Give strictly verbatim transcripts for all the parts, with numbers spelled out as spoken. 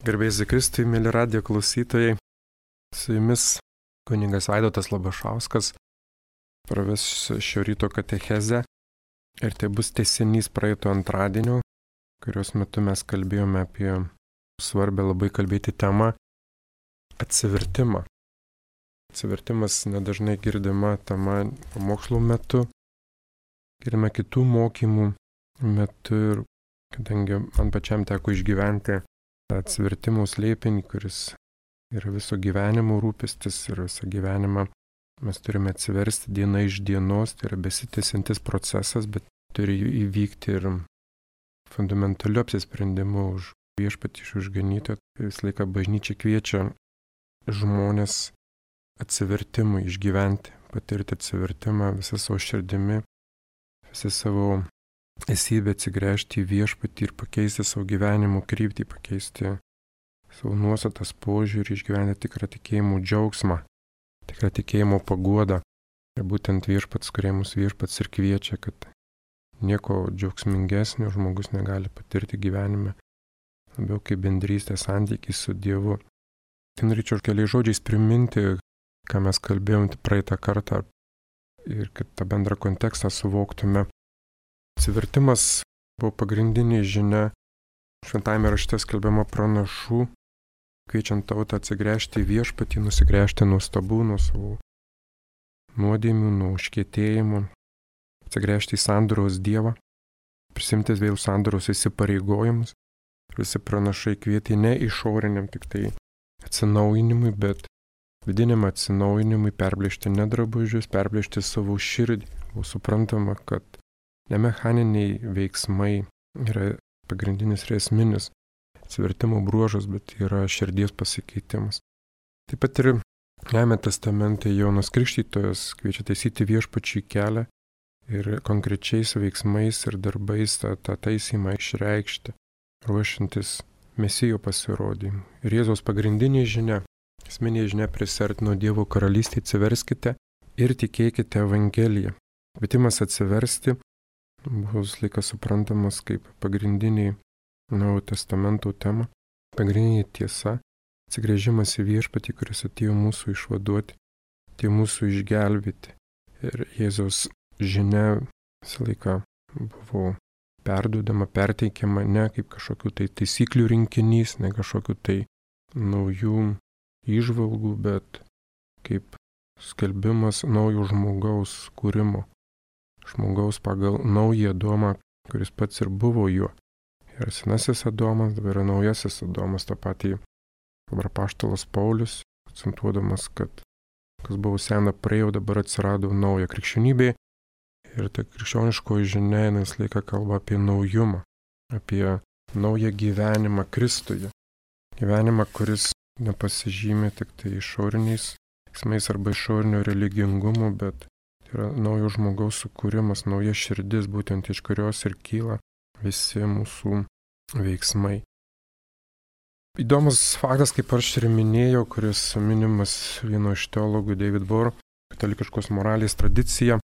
Garbėjai Kristui, mėly radijo klausytojai, su jumis kunigas Vaidotas Labašauskas praves šio ryto katechezę ir tai bus tęsinys praeito antradienio, kurios metu mes kalbėjome apie svarbę labai kalbėti temą atsivertimą. Atsivertimas nedažnai girdima tema pamokslų metu, girdime kitų mokymų metu ir kadangi man pačiam teko išgyventi atsivertimų slėpinį, kuris yra viso gyvenimo rūpestis ir visą gyvenimą mes turime atsiversti diena iš dienos, tai yra besitęsiantis procesas, bet turi įvykti ir fundamentaliu apsisprendimu už viešpatį, už ganytoją. Visą laiką bažnyčia kviečia žmonės atsivertimui išgyventi, patirti atsivertimą visą savo širdimi, visą savo esybę atsigręžti į viešpatį ir pakeisti savo gyvenimo kryptį, pakeisti savo nuostatas požiūrį, išgyventi tikrą tikėjimo džiaugsmą, tikrą tikėjimo paguodą. Ir būtent viešpats, kurie mus viešpats ir kviečia, kad nieko džiaugsmingesnio žmogus negali patirti gyvenime, labiau kaip bendrystė santykiai su Dievu. Tai norėčiau keliais žodžiais priminti, ką mes kalbėjom praeitą kartą ir kad tą bendrą kontekstą suvoktume. Atsivertimas buvo pagrindinė žinia šventajame rašte skelbiama pranašų, kviečiant tautą atsigręžti į viešpatį, nusigręžti nuo stabų, nuo savo nuodėmių, nuo užkietėjimų, atsigręžti į sandoros Dievą, prisimti vėl sandoros įsipareigojimus. Visi pranašai kvietė ne išoriniam tik tai atsinaujinimui, bet vidiniam atsinaujinimui perplėšti ne drabužius, perplėšti savo širdį. Buvo suprantama, kad ne mechaniniai veiksmai yra pagrindinis ir esminis atsivertimo bruožas, bet yra širdies pasikeitimas. Taip pat ir Naujajame testamente Jonas Krikštytojas kviečia taisyti viešpačiui kelią ir konkrečiais veiksmais ir darbais tą, tą taisymą išreikšti, ruošiantis Mesijo pasirodymui. Ir Jėzaus pagrindinė žinia, esminė žinia prisiartino Dievo karalystę, atsiverskite ir tikėkite Evangeliją. Kvietimas atsiversti buvo visą laiką suprantamas kaip pagrindiniai Naujojo testamento tema, pagrindinė tiesa, atsigręžimas į viešpatį, kuris atėjo mūsų išvaduoti, atėjo mūsų išgelbėti. Ir Jėzaus žinia visą laiką buvo perduodama, perteikiama ne kaip kažkokių tai taisyklių rinkinys, ne kažkokių tai naujų įžvalgų, bet kaip skelbimas naujo žmogaus kūrimo. Žmogaus pagal naują Adomą, kuris pats ir buvo juo. Ir senasis Adomas, dabar yra naujasis Adomas, tą patį dabar apaštalas Paulius, akcentuodamas, kad kas buvo sena praėjo, dabar atsirado nauja krikščionybė. Ir ta krikščioniškoji žinia, jis laiką kalba apie naujumą, apie naują gyvenimą Kristuje. Gyvenimą, kuris nepasižymė tik tai išoriniais veiksmais arba išorinio religingumu, bet yra naujo žmogaus sukūrimas, nauja širdis, būtent iš kurios ir kyla visi mūsų veiksmai. Įdomus faktas, kaip aš ir minėjau, kuris minimas vieno iš teologų David Bohr, katalikiškos moralės tradicija,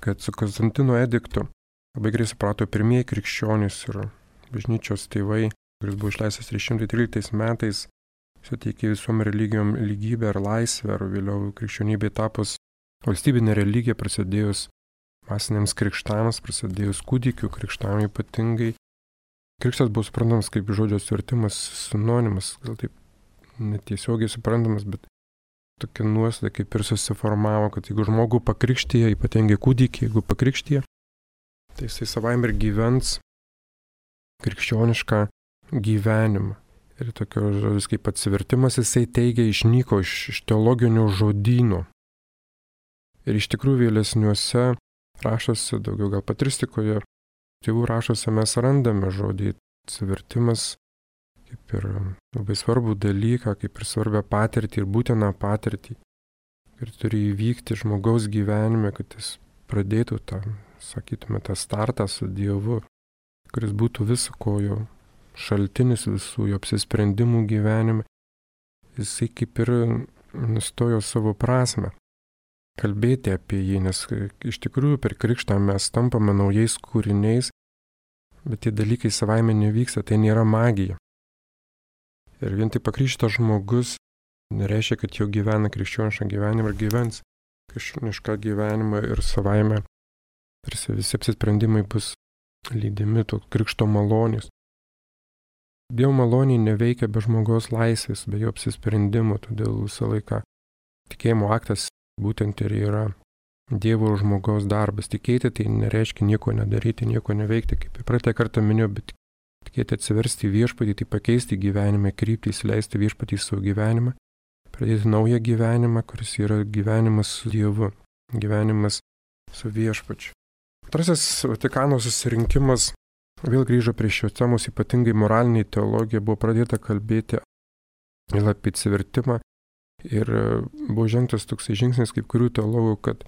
kad su Konstantino ediktu labai gerai suprato pirmieji krikščionys ir bažnyčios tėvai, kuris buvo išleistas trys šimtai tryliktais metais, suteikė visom religijom lygybę ir laisvę, ir vėliau krikščionybė tapus valstybinė religija, prasidėjus masiniams krikštams, prasidėjus kūdikių krikštam ypatingai. Krikštas buvo suprantamas kaip žodžio atsivertimas sinonimas, gal taip netiesiogiai suprantamas, bet tokia nuostata kaip ir susiformavo, kad jeigu žmogų pakrikštyje, ypatingai kūdikį, jeigu pakrikštyje, tai jisai savaime ir gyvens krikščionišką gyvenimą. Ir tokio žodis kaip atsivertimas jisai teigia išnyko iš, iš teologinio žodyno. Ir iš tikrųjų vėlesniuose rašuose, daugiau gal patristikoje, tėvų rašuose mes randame žodį atsivertimas kaip ir labai svarbų dalyką, kaip ir svarbią patirtį ir būtiną patirtį. Ir turi įvykti žmogaus gyvenime, kad jis pradėtų tą, sakytume, tą startą su Dievu, kuris būtų viso kojo šaltinis visų jo apsisprendimų gyvenime. Jisai kaip ir nustojo savo prasmę kalbėti apie jį, nes iš tikrųjų per krikštą mes tampame naujais kūriniais, bet tie dalykai savaime nevyksta, tai nėra magija. Ir vien tik pakrikštytas žmogus nereiškia, kad jau gyvena krikščionišką gyvenimą ir gyvens krikščionišką gyvenimą ir savaime tarsi visi apsisprendimai bus lydimi to krikšto malonės. Dievo malonė neveikia be žmogaus laisvės, be jo apsisprendimo, todėl visą laiką tikėjimo aktas būtent ir yra Dievo ir žmogaus darbas. Tikėti tai nereiškia nieko nedaryti, nieko neveikti, kaip ir praeitą kartą minėjau, bet tikėti atsiversti į viešpatį, tai pakeisti gyvenime, kryptį, įsileisti viešpatį į savo gyvenimą, pradėti naują gyvenimą, kuris yra gyvenimas su Dievu, gyvenimas su viešpačiu. Antrasis Vatikano susirinkimas vėl grįžo prie šios temos, ypatingai moralinė teologija, buvo pradėta kalbėti ir apie atsivertimą ir buvo žengtas toksai žingsnis kaip kurių teologų, kad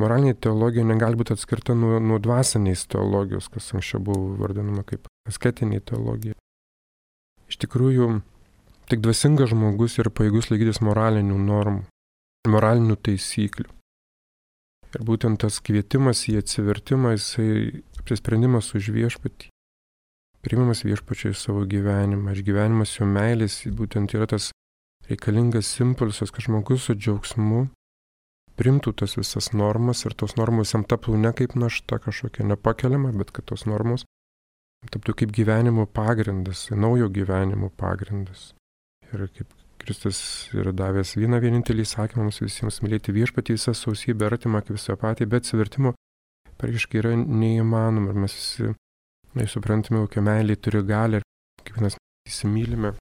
moralinė teologija negali būti atskirta nuo, nuo dvasinės teologijos, kas anksčiau buvo vardinama kaip asketinė teologija. Iš tikrųjų, tik dvasingas žmogus yra pajėgus laikytis moralinių normų, moralinių taisyklių. Ir būtent tas kvietimas į atsivertimą, jisai apsisprendimas už viešpatį, priimamas viešpačiu į savo gyvenimą, išgyvenimas jo meilės, būtent yra tas reikalingas impulsas, kad žmogus su džiaugsmu primtų tas visas normas ir tos normos jam taptų ne kaip našta kažkokia nepakeliama, bet kad tos normos taptų kaip gyvenimo pagrindas, naujo gyvenimo pagrindas. Ir kaip Kristus yra davęs vieną vienintelį įsakymą mums visiems mylėti viešpatį visą sausybę, artimą kaip visą patį, bet atsivertimo praktiškai yra neįmanoma ir mes visi na, suprantame, kokia meilė turi galią ir kiekvienas įsimylime.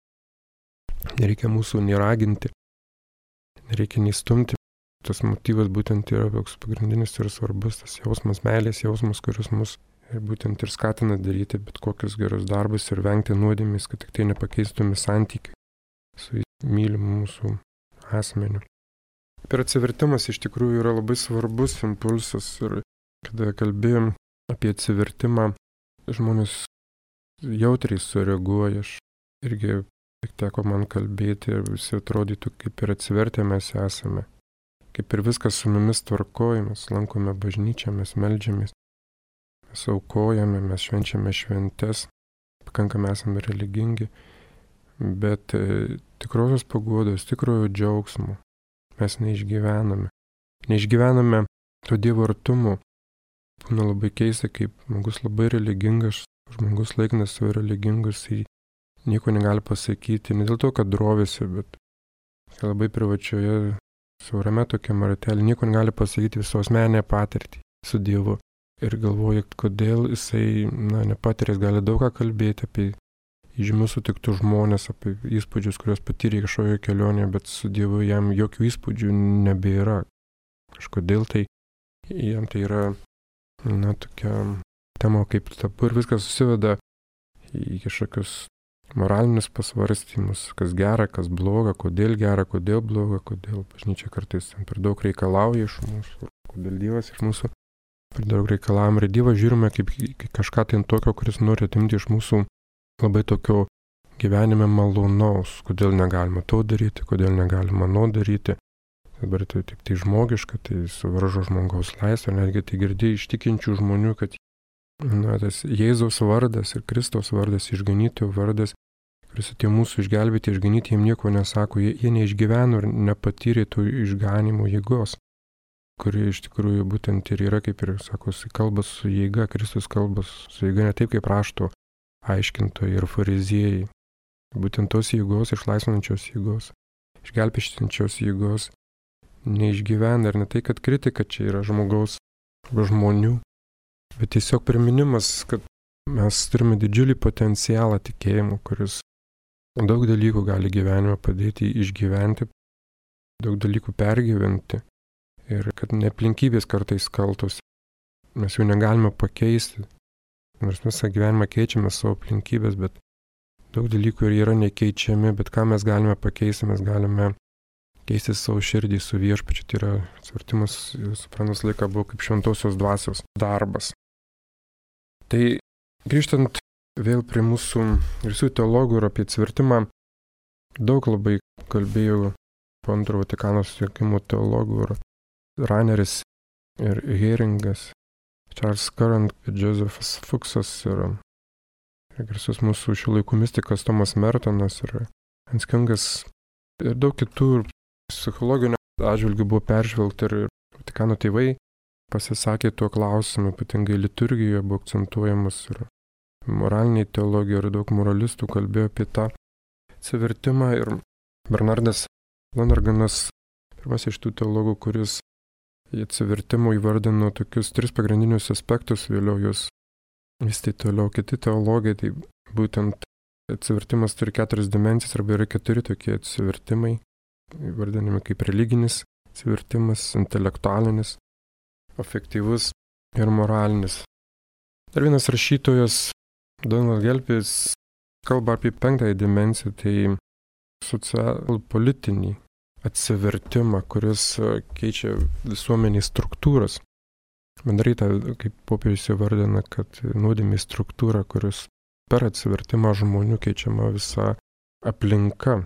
Nereikia mūsų nei raginti, nereikia nei stumti. Tas motyvas būtent yra toks pagrindinis ir svarbus, tas jausmas, meilės jausmas, kuris mus ir būtent ir skatina daryti bet kokius gerus darbus ir vengti nuodėmės, kad tik tai nepakeistume santykių su mylimu mūsų asmeniu. Per atsivertimas iš tikrųjų yra labai svarbus impulsas ir kada kalbėjom apie atsivertimą, žmonės jautriai sureaguoja. Aš irgi teko man kalbėti ir visi atrodytų, kaip ir atsivertę mes esame. Kaip ir viskas su mumis tvarkoj, mes lankome bažnyčią, mes meldžiamės, mes aukojame, mes švenčiame šventes, pakankamai esame religingi, bet e, tikrosios paguodos, tikrojo džiaugsmo mes neišgyvename. Neišgyvename to Dievo artumo. Būna labai keista, kaip žmogus labai religingas, žmogus laikinas savo religingus, jis nieko negali pasakyti, ne dėl to, kad drovisi, bet labai privačioje siaurame tokiam ratelį, nieko negali pasakyti visos meninę patirtį su Dievu. Ir galvoja, kodėl jisai na, nepatiręs gali daug ką kalbėti apie įžymius sutiktus žmonės, apie įspūdžius, kuriuos patyrė kažkoje kelionėje, bet su Dievu jam jokių įspūdžių nebėra. Kažkodėl tai jam tai yra na, tokia tema kaip tabu ir viskas susiveda į kažkokius moralinius pasvarstymus, kas gera, kas bloga, kodėl gera, kodėl bloga, kodėl bažnyčia kartais per daug reikalauja iš mūsų, kodėl Dievas iš mūsų per daug reikalavim. Ir Dievą žiūrime kaip kažką tai tokio, kuris nori atimti iš mūsų labai tokio gyvenime malonaus, kodėl negalima to daryti, kodėl negalima no daryti. Dabar tai tik tai žmogiška, tai suvaržo žmogaus laisvę, netgi tai girdėjai iš tikinčių žmonių, kad na, tas Jėzaus vardas ir Kristaus vardas, išganytojo vardas, kuris atėjo mūsų išgelbėti, išganyti, jiem nieko nesako, jie, jie neišgyveno ir nepatyrė tų išganimo jėgos, kuri iš tikrųjų būtent ir yra, kaip ir sako, kalba su jėga, Kristus kalba su jėga ne taip kaip rašto aiškintojai ir fariziejai. Būtent tos jėgos, išlaisvinančios jėgos, išgelbėštinčios jėgos neišgyvena ir ne tai, kad kritika čia yra žmogaus arba žmonių, bet tiesiog priminimas, kad mes turime didžiulį potencialą tikėjimo, kuris daug dalykų gali gyvenime padėti išgyventi, daug dalykų pergyventi ir kad ne aplinkybės kartais kaltos. Mes jų negalime pakeisti, nors visą gyvenimą keičiame savo aplinkybės, bet daug dalykų ir yra nekeičiami, bet ką mes galime pakeisti, mes galime keisti savo širdį su viešpačiu. Tai yra atsivertimas, suprantas laiką buvo kaip šventosios dvasios darbas. Tai grįžtant vėl prie mūsų visų teologų ir apie atsivertimą, daug labai kalbėjau po antro Vatikano susirinkimo teologų ir Raneris ir Heringas, Charles Curran, Josephas Fuchsas ir, ir garsus mūsų šių laikų mistikas Tomas Mertonas ir Hanskingas ir daug kitų psichologinių atžvilgių buvo peržvelgta ir Vatikano tėvai pasisakė tuo klausimu, ypatingai liturgijoje buvo akcentuojamas ir moraliniai teologija ir daug moralistų kalbėjo apie tą atsivertimą ir Bernardas Lonerganas, pirmas iš tų teologų, kuris į atsivertimą įvardino tokius tris pagrindinius aspektus, vėliau jūs vystė toliau kiti teologai, tai būtent atsivertimas turi keturias dimensijas arba yra keturi tokie atsivertimai, įvardinami kaip religinis atsivertimas, intelektualinis, afektyvus ir moralinis. Dar vienas rašytojas, Donald Gelpis, kalba apie penktąją dimensiją, tai socialpolitinį atsivertimą, kuris keičia visuomenės struktūras. Bendrai tą, kaip popiežius įvardina, kad nuodėmė struktūra, kuris per atsivertimą žmonių keičiama visa aplinka,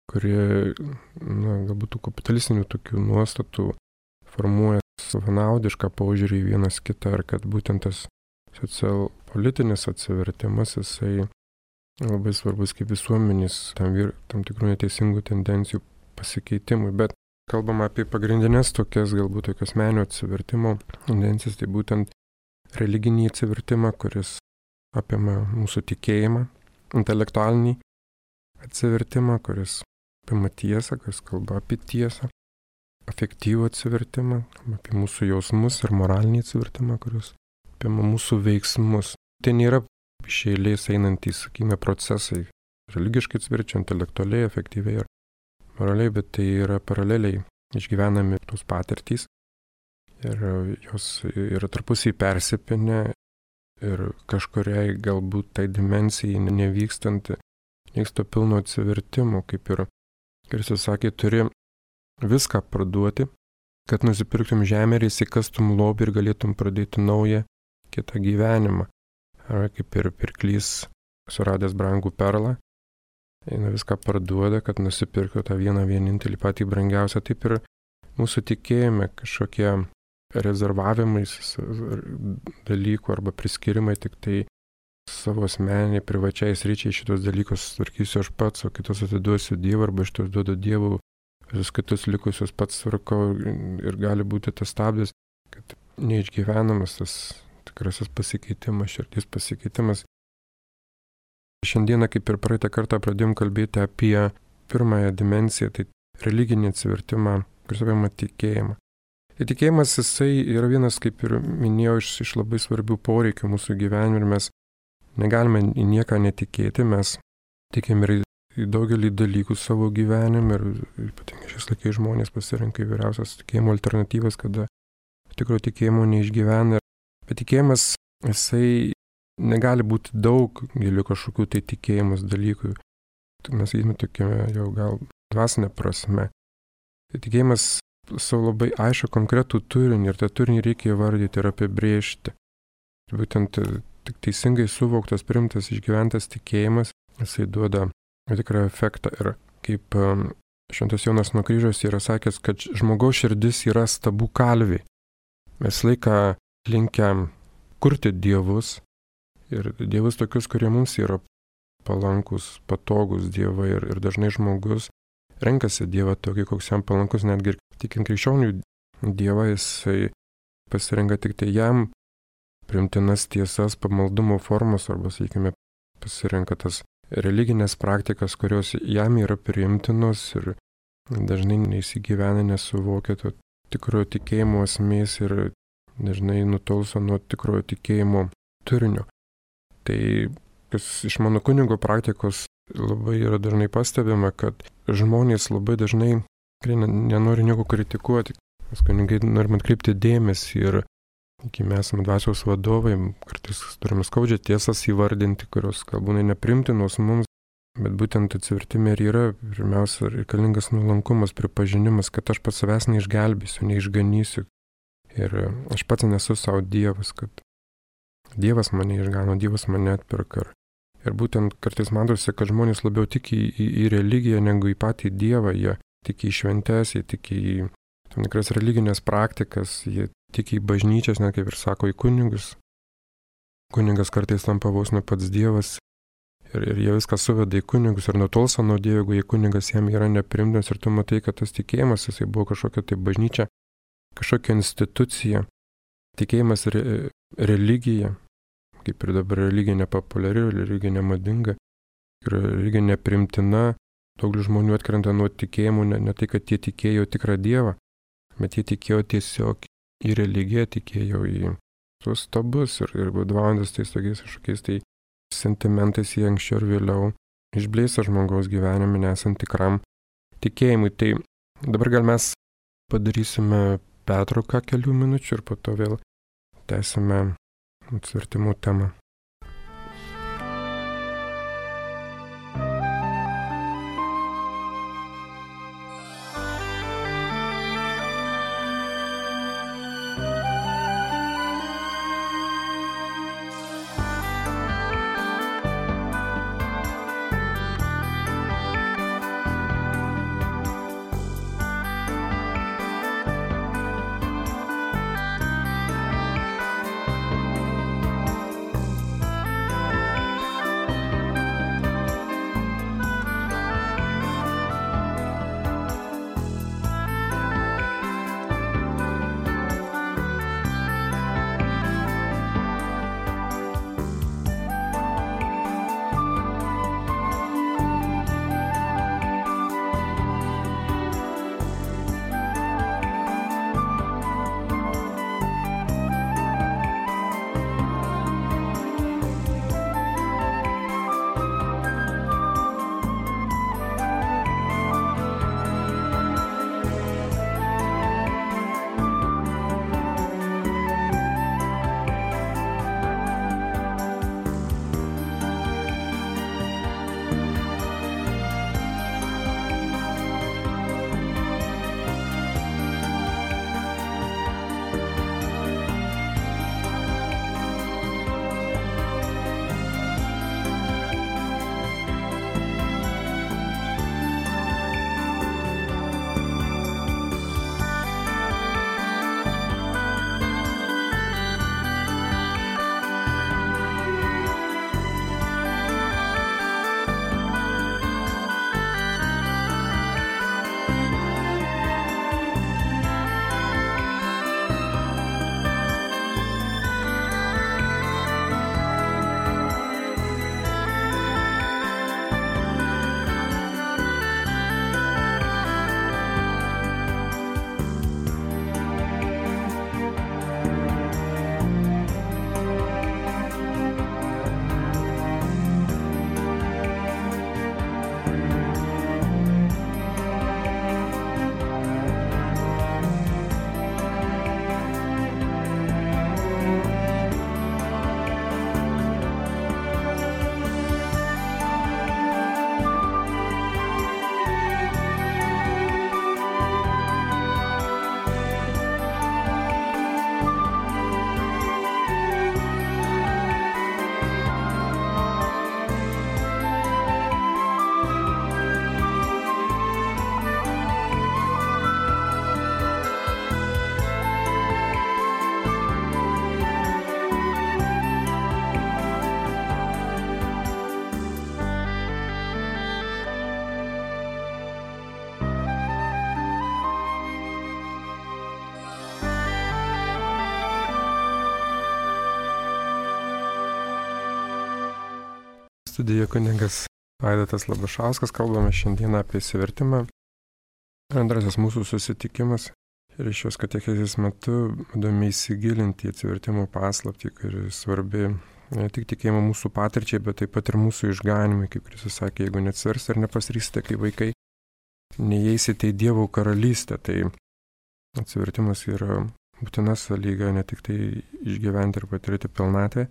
kurie, na, galbūt tų kapitalistinių tokių nuostatų formuoja savanaudišką požiūrį į vienas kitą, ar kad būtent tas socialpolitinis atsivertimas, jisai labai svarbus kaip visuomenės tam, vir, tam tikrų neteisingų tendencijų pasikeitimui. Bet kalbama apie pagrindinės tokias, galbūt tokias menio atsivertimo tendencijas, tai būtent religinį atsivertimą, kuris apima mūsų tikėjimą, intelektualinį atsivertimą, kuris apima tiesą, kuris kalba apie tiesą, afektyvų atsivertimą, apie mūsų jausmus ir moralinį atsivertimą, kuris apima mūsų veiksmus. Tai nėra iš eilės einantys, sakykime, procesai, religiškai atsiverčia, intelektualiai, efektyviai ir moraliai, bet tai yra paraleliai išgyvenami tos patirtys ir jos yra tarpusiai persipinę ir kažkuriai galbūt tai dimensijai nevykstant vyksta pilno atsivertimo, kaip ir Kristus sakė, turi viską parduoti, kad nusipirktum žemę ir įsikastum lobį ir galėtum pradėti naują kitą gyvenimą. Ar kaip ir pirklys suradęs brangų perlą, eina viską parduoda, kad nusipirktų tą vieną vienintelį patį brangiausią. Taip ir mūsų tikėjime kažkokie rezervavimai dalykų arba priskirimai tik tai savo asmeniniai, privačiai sričiai šitos dalykus tvarkysiu aš pats, o kitus atiduosiu Dievui arba šitos duodu Dievui, visus kitus likusius pats tvarkau ir gali būti tas stabdis, kad neišgyvenamas tas tikrasis pasikeitimas, širdies pasikeitimas. Šiandieną, kaip ir praeitą kartą, pradėjom kalbėti apie pirmąją dimensiją, tai religinį atsivertimą, kuris apima tikėjimą. Tai tikėjimas, jisai yra vienas, kaip ir minėjau, iš, iš labai svarbių poreikių mūsų gyvenime ir mes negalime į nieką netikėti, mes tikime ir į daugelį dalykų savo gyvenime ir ypatingai šiais laikais žmonės pasirenka įvairiausias tikėjimo alternatyvas, kada tikro tikėjimo neišgyvena. Bet tikėjimas, jisai negali būti daug gilių kažkokių tai tikėjimus dalykų. Mes įdime tokiame jau gal dvasinė prasme. Tai tikėjimas savo labai aišku konkretų turinį ir tą turinį reikia įvardyti ir apibrėžti. Būtent tik teisingai suvoktas, primtas, išgyventas tikėjimas, jisai duoda tikrą efektą. Ir kaip Šventas Jonas nuo kryžiaus yra sakęs, kad žmogaus širdis yra stabų kalviai. Mes laiką linkę kurti dievus ir dievus tokius, kurie mums yra palankus, patogus dievai ir, ir dažnai žmogus renkasi dievą tokį, koks jam palankus, netgi ir tikint krikščionių dievą, jisai pasirenka tik tai jam priimtinas tiesas, pamaldumo formas arba, sakykime, pasirenka tas religinės praktikas, kurios jam yra priimtinos ir dažnai neįsigyvena, nesuvokia to tikrojo tikėjimo esmės ir dažnai nutolso nuo tikrojo tikėjimo turinio. Tai kas iš mano kunigo praktikos labai yra dažnai pastebima, kad žmonės labai dažnai nenori nieko kritikuoti. Mes kunigai norime atkreipti dėmesį ir iki mes esame dvasios vadovai, kartais turime skaudžią tiesas įvardinti, kurios galbūt neprimtinos mums, bet būtent atsivertime ir yra pirmiausia reikalingas nuolankumas, pripažinimas, kad aš pats savęs neišgelbėsiu, neišganysiu. Ir aš pats nesu savo Dievas, kad Dievas mane išgano, Dievas mane atpirka. Ir būtent kartais matosi, kad žmonės labiau tiki į, į, į religiją negu į patį Dievą. Jie tiki į šventes, jie tiki į tam tikras religinės praktikas, jie tiki į bažnyčias, net kaip ir sako, į kunigus. Kunigas kartais tampa vos ne pats Dievas Ir, ir jie viską suveda į kunigus ir nutolsta nuo Dievo, jeigu kunigas jam yra neprimtinas ir tu matai, kad tas tikėjimas, jisai buvo kažkokia tai bažnyčia, kažkokia institucija, tikėjimas re, religija, kaip ir dabar religija nepopuliari, religija nemadinga, religija neprimtina, daug žmonių atkrenta nuo tikėjimų, ne, ne tai, kad jie tikėjo tikrą Dievą, bet jie tikėjo tiesiog į religiją, tikėjo į tuos stabus ir, ir vadovaujantis tais tokiais kažkokiais tai sentimentais jie anksčiau ir vėliau išblėsa žmogaus gyvenime, nesant tikram tikėjimui. Tai dabar gal mes padarysime pertrauką kelių minučių ir po to vėl tęsime atsivertimų temą. Studijoje kunigas Vaidotas Labašauskas, kalbame šiandien apie išsivertimą. Antrasis mūsų susitikimas ir iš šios katechezės metu įdomi įsigilinti į atsivertimo paslaptį, kuri svarbi ne tik tikėjimo mūsų patirčiai, bet taip pat ir mūsų išganimui, kaip Kristus sakė, jeigu neatsiversite ir nepasirysite kaip vaikai, neįeisite į Dievo karalystę. Tai atsivertimas yra būtina sąlyga ne tik tai išgyventi ir patirti pilnatvę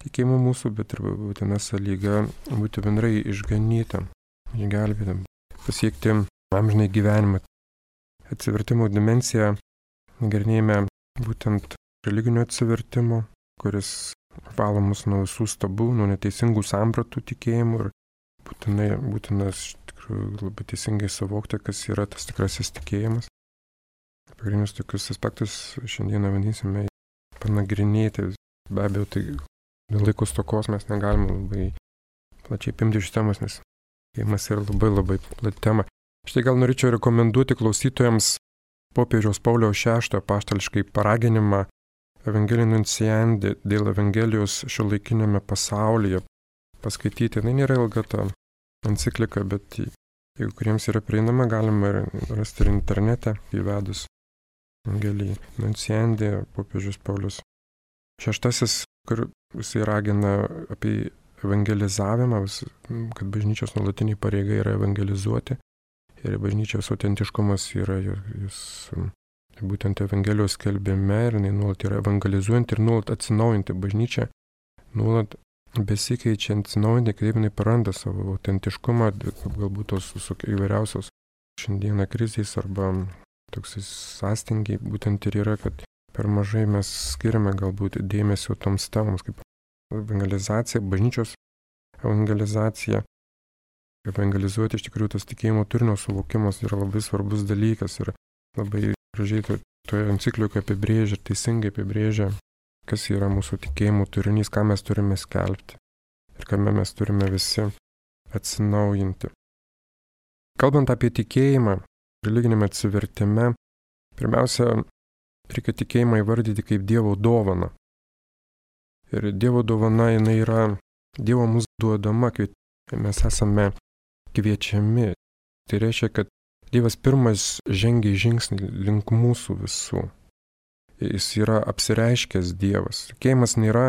tikėjimo mūsų, bet ir būtina sąlyga būti bendrai išganytam, išgelbėtam, pasiekti amžinai gyvenimą. Atsivertimo dimensiją nagrinėjame būtent religinio atsivertimo, kuris valo mus nuo visų stabų, nuo neteisingų sampratų tikėjimų ir būtinai, būtinas iš tikrųjų labai teisingai suvokti, kas yra tas tikrasis tikėjimas. Pagrindinius tokius aspektus šiandieną bandysime panagrinėti. Be abejo, tai dėl laiko stokos mes negalime labai plačiai apimti iš temos, nes tikėjimas yra labai labai plati tema. Štai gal norėčiau rekomenduoti klausytojams popiežiaus Pauliaus šeštojo apaštališkai paraginimą Evangelii Nunciandi dėl Evangelijos šiuolaikinėme pasaulyje paskaityti. Tai nėra ilga ta enciklika, bet jeigu kuriems yra prieinama, galima rasti ir internete įvedus Evangelii Nunciandi, popiežius Paulius šeštasis, kur jisai ragina apie evangelizavimą, kad bažnyčios nuolatinė pareiga yra evangelizuoti. Ir bažnyčios autentiškumas yra jis būtent Evangelijos skelbime ir jinai nuolat yra evangelizuojanti ir nuolat atsinaujinti bažnyčią, nuolat besikeičiant, atsinaujinti, kaip jinai paranda savo autentiškumą, galbūt tos įvairiausios šiandieną krizės arba toksai sąstingiai, būtent ir yra, kad per mažai mes skiriame galbūt dėmesio toms temoms, kaip evangelizacija, bažnyčios evangelizacija. Evangelizuoti iš tikrųjų tas tikėjimo turinio suvokimas yra labai svarbus dalykas ir labai gražiai to, toje enciklikoje apibrėžia ir teisingai apibrėžia, kas yra mūsų tikėjimo turinys, ką mes turime skelbti ir kame mes turime visi atsinaujinti. Kalbant apie tikėjimą, religinėme atsivertime, pirmiausia, reikia tikėjimą įvardyti kaip Dievo dovaną. Ir Dievo dovana jinai yra Dievo mums duodama, kai mes esame kviečiami. Tai reiškia, kad Dievas pirmas žengia žingsnį link mūsų visų. Jis yra apsireiškęs Dievas. Tikėjimas nėra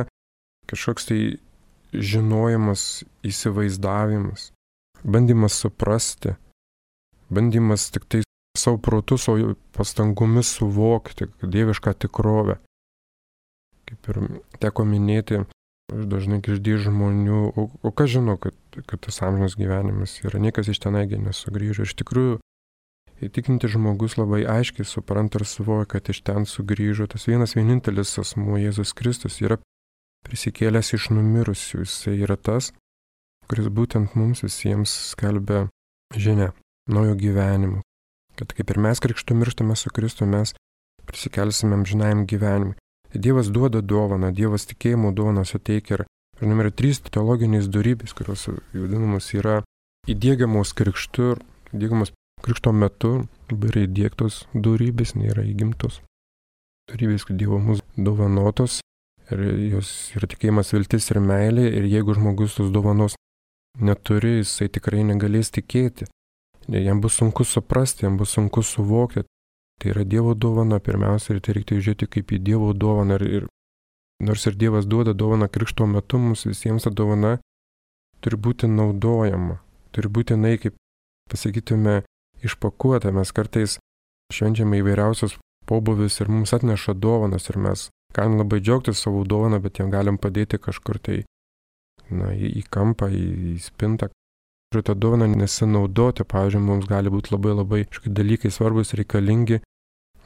kažkoks tai žinojimas, įsivaizdavimas, bandymas suprasti, bandymas tik tai savo protu, savo pastangomis suvokti dievišką tikrovę. Kaip ir teko minėti, aš dažnai girdžiu žmonių, o, o kas žino, kad, kad tas amžinas gyvenimas yra, niekas iš tenaigi nesugrįžo. Iš tikrųjų, įtikinti žmogus labai aiškiai supranta ir suvokia, kad iš ten sugrįžo tas vienas vienintelis asmuo Jėzus Kristus, yra prisikėlęs iš numirusių. Jisai yra tas, kuris būtent mums visiems skelbia žinią naujo gyvenimo. Kad kaip ir mes krikštu mirštame su Kristu, mes prisikelsime amžinajam gyvenimui. Dievas duoda dovaną, Dievas tikėjimo dovaną suteikia ir, žinoma, yra trys teologinės dorybės, kurios vadinamos yra įdiegiamos krikštu ir įdiegiamos krikšto metu, yra įdiegtos dorybės, nėra įgimtos. Dorybės, kad Dievo mūsų dovanotos ir jos yra tikėjimas, viltis ir meilė ir jeigu žmogus tos dovanos neturi, jisai tikrai negalės tikėti. Jam bus sunku suprasti, jam bus sunku suvokti. Tai yra Dievo dovana pirmiausia ir tai reikia žiūrėti kaip į Dievo dovaną. Ir, ir, nors ir Dievas duoda dovaną krikšto metu, mums visiems ta dovana turi būti naudojama. Turi būti, na, kaip pasakytume, išpakuota. Mes kartais švenčiame įvairiausios pobūvius ir mums atneša dovanas ir mes galim labai džiaugtis savo dovaną, bet jam galim padėti kažkur tai, na, į, į kampą, į, į spintą. Ir tą dovaną nesinaudoti, pavyzdžiui, mums gali būti labai labai dalykai svarbus, reikalingi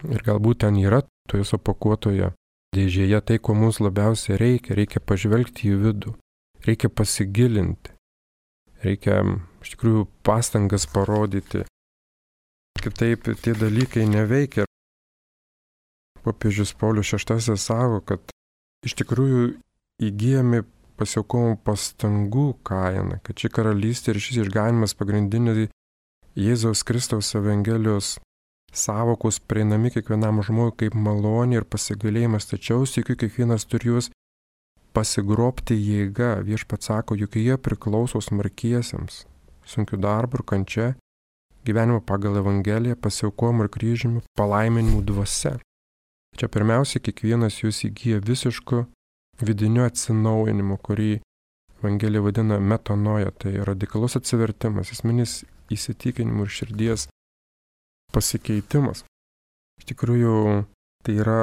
ir galbūt ten yra toje supakuotoje dėžėje tai, ko mums labiausiai reikia. Reikia pažvelgti į vidų, reikia pasigilinti, reikia iš tikrųjų pastangas parodyti. Kitaip tie dalykai neveikia. Popiežius Paulius šeštasis sako, kad iš tikrųjų įgyjami pasiaukojimo pastangų kaina, kad ši karalystė ir šis išganimas pagrindiniai Jėzaus Kristaus Evangelijos savokos prieinami kiekvienam žmogui kaip malonė ir pasigailėjimas, tačiau sykiu kiekvienas turi juos pasigrobti jėga. Viešpats sako, juk jie priklauso smarkiesiems, sunkiu darbu ir kančia, gyvenimo pagal Evangeliją, pasiaukojimu ir kryžiumi, palaiminimu dvasia. Čia pirmiausia, kiekvienas jūs įgyja visišku vidiniu atsinaujinimu, kurį Evangelija vadina metanoja, tai radikalus atsivertimas, esminis įsitikinimų ir širdies pasikeitimas. Iš tikrųjų, tai yra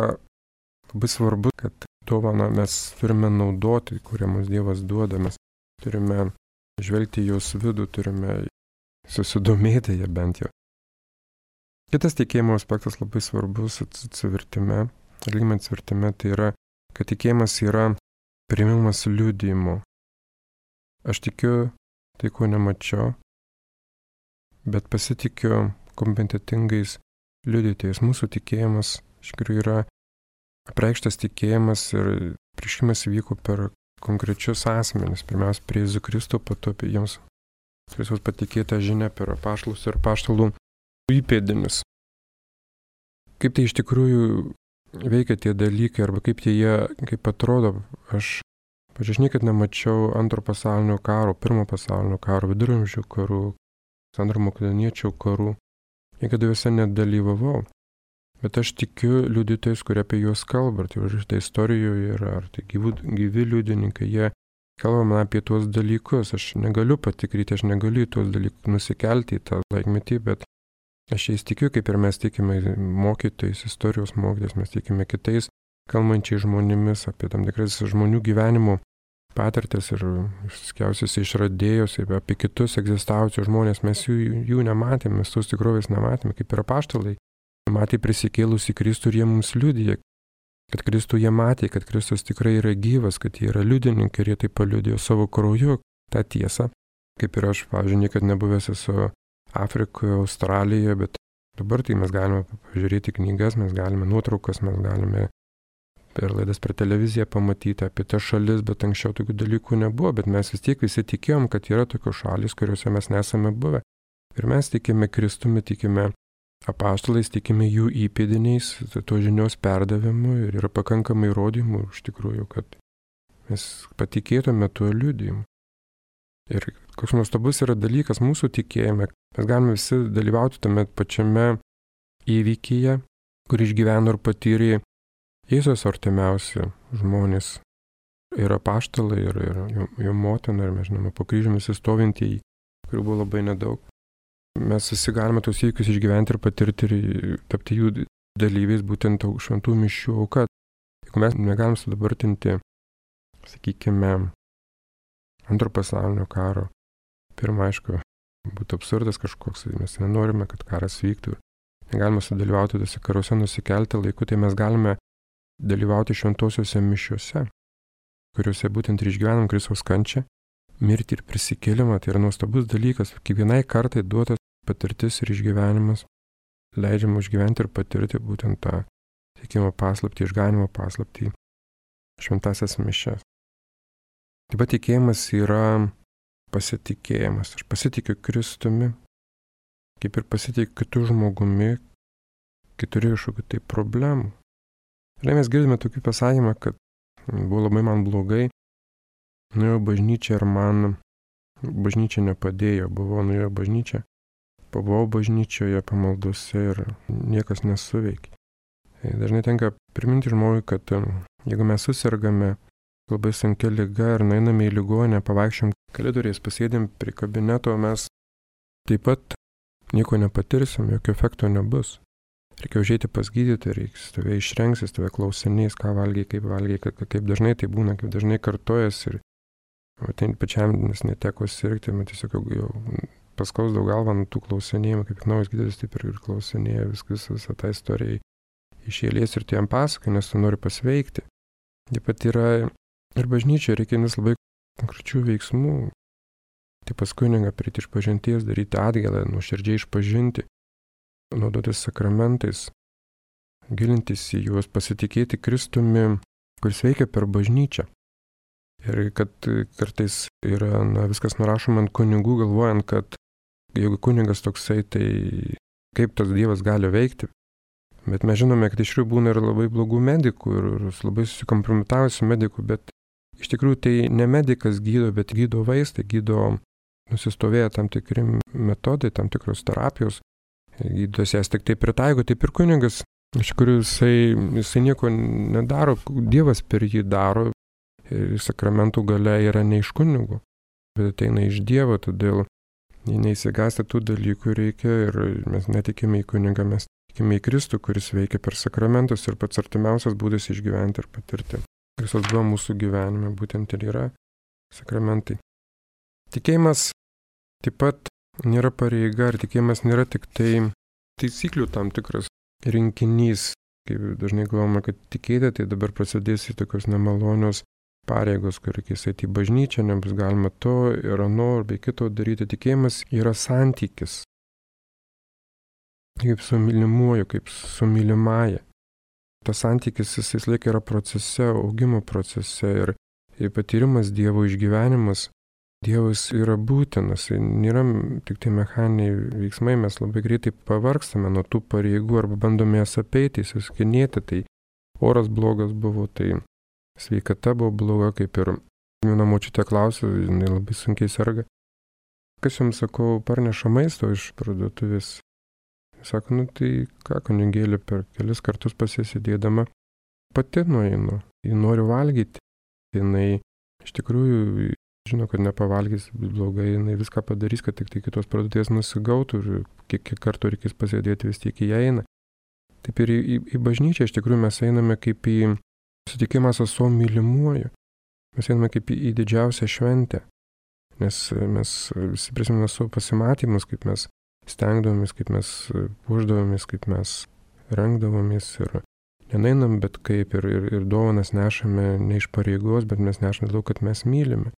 labai svarbu, kad dovaną mes turime naudoti, kurią mums Dievas duoda, mes turime žvelgti jos vidų, turime susidomėti ją bent jau. Kitas tikėjimo aspektas labai svarbus atsivertime, religiniame atsivertime, tai yra, kad tikėjimas yra priėmimas liudijimo. Aš tikiu tai, ko nemačiau, bet pasitikiu kompetentingais liudytojais. Mūsų tikėjimas iš tikrųjų yra apreikštas tikėjimas ir prieškimas vyko per konkrečius asmenis. Pirmiausia, prie Jėzų Kristų, po to apie jiems Kristus patikėtą žinią per apaštalus ir apaštalų įpėdinius. Kaip tai iš tikrųjų veikia tie dalykai, arba kaip jie, kaip atrodo, aš, pažiūrėjau, aš niekad nemačiau antro pasaulinio karo, pirmo pasaulinio karo, viduramžių karų, Sandro Makedoniečio karų, niekada juose nedalyvavau. Bet aš tikiu liudytojais, kurie apie juos kalba, ar tai užrašyta istorijoje yra, ar tai gyvi, gyvi liudininkai, jie kalba man apie tuos dalykus, aš negaliu patikryti, aš negaliu į tuos dalykus nusikelti į tą laikmetį, bet aš jais tikiu, kaip ir mes tikime mokytojais, istorijos mokytojais, mes tikime kitais kalbančiai žmonėmis apie tam tikras žmonių gyvenimo patirtis ir skiausius išradėjus, apie kitus egzistavusius žmonės, mes jų, jų nematėme, mes tos tikrovės nematėme, kaip ir apaštalai. Matė prisikėlusį Kristų ir jie mums liudija, kad Kristų jie matė, kad Kristus tikrai yra gyvas, kad jie yra liudininkai ir jie taip paliudijo savo krauju tą tiesą. Kaip ir aš, pavyzdžiui, niekad nebuvęs esu Afrikoje, Australijoje, bet dabar tai mes galime pažiūrėti knygas, mes galime nuotraukas, mes galime per laidas per televiziją pamatyti apie tas šalis, bet anksčiau tokių dalykų nebuvo, bet mes vis tiek visi tikėjom, kad yra tokios šalis, kuriuose mes nesame buvę. Ir mes tikime Kristumi, tikime apaštalais, tikime jų įpėdiniais, to žinios perdavimu ir yra pakankamai įrodymų iš tikrųjų, kad mes patikėtume tuo liudijimu. Ir koks nuostabus yra dalykas mūsų tikėjime, mes galime visi dalyvauti tame pačiame įvykyje, kur išgyveno ir patyrė Jėzus artimiausi žmonės. Ir apaštalai, ir, ir jo, jo motina, ir mes žinome, po kryžiumi stovintieji, kurių buvo labai nedaug. Mes visi galime tos įvykius išgyventi ir patirti ir tapti jų dalyviais, būtent šventų mišių auka. Jeigu mes negalim sudabartinti, sakykime, antro pasaulinio karo, pirmą, aišku, būtų absurdas kažkoks, mes nenorime, kad karas vyktų. Negalime sudalyvauti tose karuose, nusikelti laiku, tai mes galime dalyvauti šventosiuose mišiuose, kuriuose būtent ir išgyvenam Kristaus kančią, mirtį ir prisikėlimą. Tai yra nuostabus dalykas, kiekvienai kartai duotas patirtis ir išgyvenimas, leidžiama išgyventi ir patirti būtent tą tikėjimo paslaptį, išganimo paslaptį, šventasias mišias. Taip pat tikėjimas yra pasitikėjimas. Aš pasitikiu Kristumi, kaip ir pasitikiu kitų žmogumi, kai turiu kažkokių tai problemų. Ir mes girdime tokį pasakymą, kad buvo labai man blogai, nuėjau bažnyčią ir man bažnyčia nepadėjo, buvau nuėjau bažnyčią, pabuvau bažnyčioje pamaldose ir niekas nesuveikė. Dažnai tenka priminti žmogui, kad jeigu mes susirgame labai sunkia liga ir nueiname į ligonę, pavaikščiom koridoriais, pasėdėm prie kabineto, mes taip pat nieko nepatirsim, jokio efekto nebus. Reikia užeiti pas gydytoją, reikia tave išrengs, tave klausinės, ką valgiai, kaip valgiai, kaip dažnai tai būna, kaip dažnai kartojas ir ten pačiam nes neteko sirgti, man tiesiog jau paskausdavau galvą nuo tų klausinėjimų, kaip naujas gydytojas taip ir klausinėjo viskas, visą tą istoriją iš eilės ir tu jam pasakai, nes tu nori pasveikti. Taip pat yra ir bažnyčioje reikia vis labai konkrečių veiksmų. Tai paskui kunigą prieiti išpažinties, daryti atgailą, nuoširdžiai išpažinti, naudotis sakramentais, gilintis į juos, pasitikėti Kristumi, kuris veikia per bažnyčią. Ir kad kartais yra na, viskas nurašoma ant kunigų, galvojant, kad jeigu kunigas toksai, tai kaip tas Dievas gali veikti. Bet mes žinome, kad iš tikrųjų būna ir labai blogų medikų, ir, ir labai susikompromitavusių medikų, bet iš tikrųjų tai ne medikas gydo, bet gydo vaistai, gydo nusistovėję tam tikri metodai, tam tikros terapijos. Gydytojas jas tik taip pritaiko, taip ir kunigas, iš tikrųjų jisai, jisai nieko nedaro, Dievas per jį daro ir sakramentų galia yra ne iš kunigų, bet ateina iš Dievo, todėl neįsigąsti tų dalykų reikia ir mes netikime į kunigą, mes tikime į Kristų, kuris veikia per sakramentus ir pats artimiausias būdas išgyventi ir patirti. Kristus buvo mūsų gyvenime, būtent ir yra sakramentai. Tikėjimas taip pat nėra pareiga, ir tikėjimas nėra tik tai taisyklių tam tikras rinkinys. Kaip dažnai galvojame, kad tikėti, tai dabar prasidės į tokios nemalonios pareigos, kur reikės eiti į bažnyčią, nebus galima to ir ano, ar bei kito daryti. Tikėjimas yra santykis. Kaip su mylimuoju, kaip su mylimąja. Tas santykis jis vis laik yra procese, augimo procese ir patyrimas Dievo, išgyvenimas. Dievas yra būtinas, nėra tik tai mechaniniai veiksmai, mes labai greitai pavargstame nuo tų pareigų arba bandome jas apeiti, įsiskinėti, tai oras blogas buvo, tai sveikata buvo bloga, kaip ir viena močiutė klausė, jinai labai sunkiai serga. Kas jums, sakau, parneša maisto iš parduotuvės? Sako, nu tai ką, kunigėlė, per kelis kartus pasisėdėdama pati nueinu, ji nori valgyti, jinai iš tikrųjų žino, kad nepavalgys blogai, jinai viską padarys, kad tik tai kitos parduotuvės nusigautų ir kiek, kiek kartų reikės pasėdėti, vis tiek į ją eina. Taip ir į, į, į bažnyčią iš tikrųjų mes einame kaip į sutikimą su savo mylimuoju. Mes einame kaip į, į didžiausią šventę, nes mes visi prisimename savo pasimatymus, kaip mes stengdavomės, kaip mes puošdavomės, kaip mes rengdavomės ir nenainam, bet kaip ir, ir, ir dovanas nešame ne iš pareigos, bet mes nešame daug, kad mes mylime.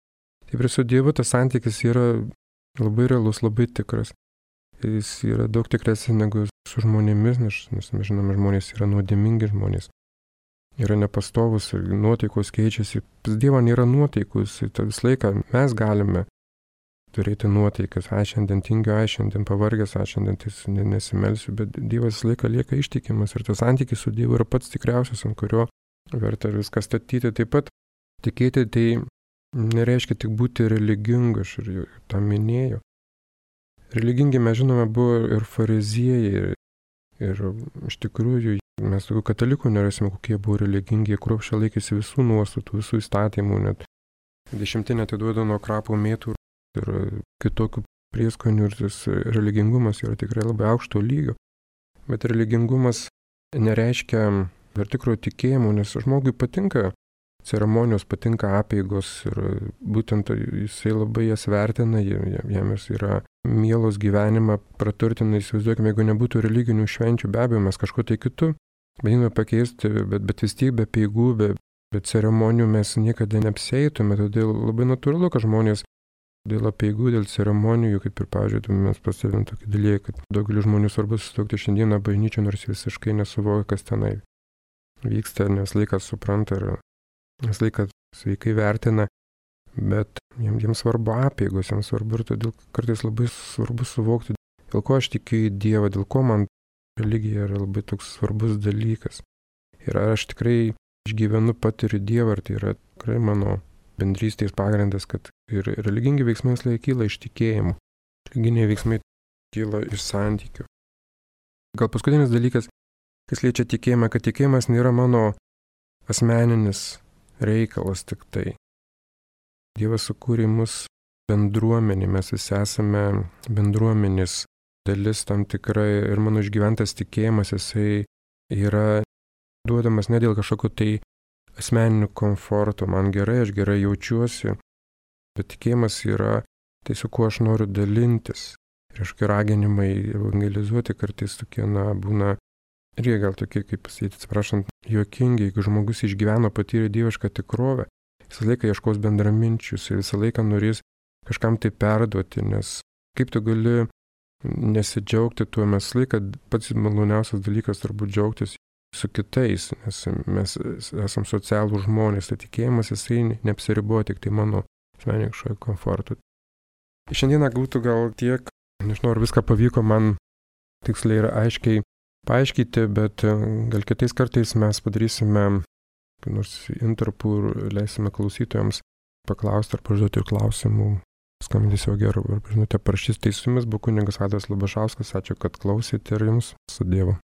Taip ir su Dievu tas santykis yra labai realus, labai tikras. Jis yra daug tikresnis negu su žmonėmis, nes, nes mes žinome, žmonės yra nuodėmingi žmonės. Yra nepastovus ir nuotaikos keičiasi. Pas Dievą nėra nuotaikus, tai visą laiką mes galime turėti nuotaikas. Aš šiandien tingiu, aš šiandien pavargęs, aš šiandien tai nesimelsiu, bet Dievas visą laiką lieka ištikimas ir tas santykis su Dievu yra pats tikriausias, ant kurio verta viską statyti. Taip pat tikėti tai nereiškia tik būti religingu, aš ir tą minėjau. Religingi mes žinome buvo ir fariziejai, ir, ir iš tikrųjų mes tokių katalikų nerasime, kokie buvo religingi, jie kruopščiai laikėsi visų nuostatų, visų įstatymų, net dešimtinę atiduoda nuo krapų mėtų ir kitokių prieskonių ir tas religingumas yra tikrai labai aukšto lygio. Bet religingumas nereiškia ir tikro tikėjimo, nes žmogui patinka ceremonijos, patinka apeigos ir būtent jisai labai jas vertina, jam jis yra mielos gyvenimą, praturtina, įsivaizduokime, jeigu nebūtų religinių švenčių, be abejo, mes kažko tai kitų bandome pakeisti, bet, bet vis tiek be apeigų, be, be ceremonijų mes niekada neapsieitume, todėl labai natūralu, kad žmonės dėl apeigų, dėl ceremonijų, kaip ir, pavyzdžiui, mes pastebėjom tokį dalyką, kad daugelis žmonių svarbu susituokti šiandieną bažnyčią, nors visiškai nesuvokia, kas tenai vyksta, nes laikas supranta ir vis laiką sveikai vertina, bet jiems, jiems svarbu apeigos, jiems svarbu ir todėl kartais labai svarbu suvokti, dėl ko aš tikiu į Dievą, dėl ko man religija yra labai toks svarbus dalykas. Ir ar aš tikrai išgyvenu, patiriu Dievą, ar tai yra tikrai mano bendrystės pagrindas, kad ir religingi veiksmai visai kyla iš tikėjimų, religiniai veiksmai kyla iš santykių. Gal paskutinis dalykas, kas liečia tikėjimą, kad tikėjimas nėra mano asmeninis reikalas tik tai. Dievas sukūrė mus bendruomenį, mes visi esame bendruomenės dalis tam tikrai ir mano išgyventas tikėjimas, jisai yra duodamas ne dėl kažkokio tai asmeninių komforto, man gerai, aš gerai jaučiuosi, bet tikėjimas yra tai, su kuo aš noriu dalintis. Ir kažkokie raginimai evangelizuoti kartais tokie, na, būna ir jie gal tokie, kaip pasakyti, atsiprašant, juokingi, jeigu žmogus išgyveno, patyrė dievišką tikrovę, visą laiką ieškos bendraminčius ir visą laiką norės kažkam tai perduoti, nes kaip tu gali nesidžiaugti tuo, mes laiką pats maloniausias dalykas turbūt džiaugtis su kitais, nes mes esam socialų žmonės, tai tikėjimas jisai neapsiriboja tik tai mano asmeniško komfortu. Šiandieną būtų gal tiek, nežinau, ar viską pavyko man tiksliai ir aiškiai paaiškinti, bet gal kitais kartais mes padarysime nors intarpų ir leisime klausytojams paklausti ar pažduoti ir klausimų. Skambintis jau gerų, ar žinote, parašys, tai su jumis buvo kunigas Vaidotas Labašauskas, ačiū, kad klausėte ir jums su Dievu.